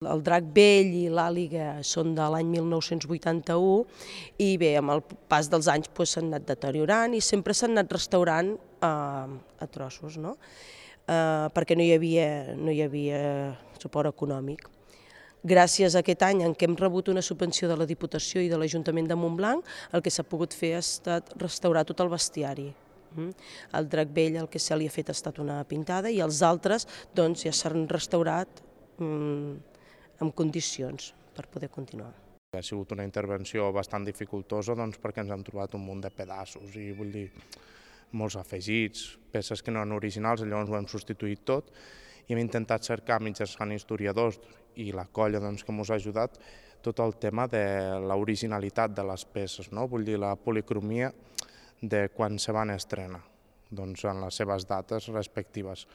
El Drac Vell i l'Àliga són de l'any 1981 i bé, amb el pas dels anys s'han anat deteriorant i sempre s'han anat restaurant a trossos, no? Perquè no hi havia suport econòmic. Gràcies a aquest any en què hem rebut una subvenció de la Diputació i de l'Ajuntament de Montblanc, el que s'ha pogut fer ha estat restaurar tot el bestiari. El Drac Vell el que se li ha fet ha estat una pintada i els altres ja s'han restaurat en condicions per poder continuar. Ha sigut una intervenció bastant dificultosa perquè ens hem trobat un munt de pedaços i vull dir molts afegits, peces que no eren originals, llavors ho hem substituït tot i hem intentat cercar mitjançant historiadors i la colla que ens ha ajudat tot el tema de l'originalitat de les peces, vull dir la policromia de quan se van estrenar en les seves dates respectives.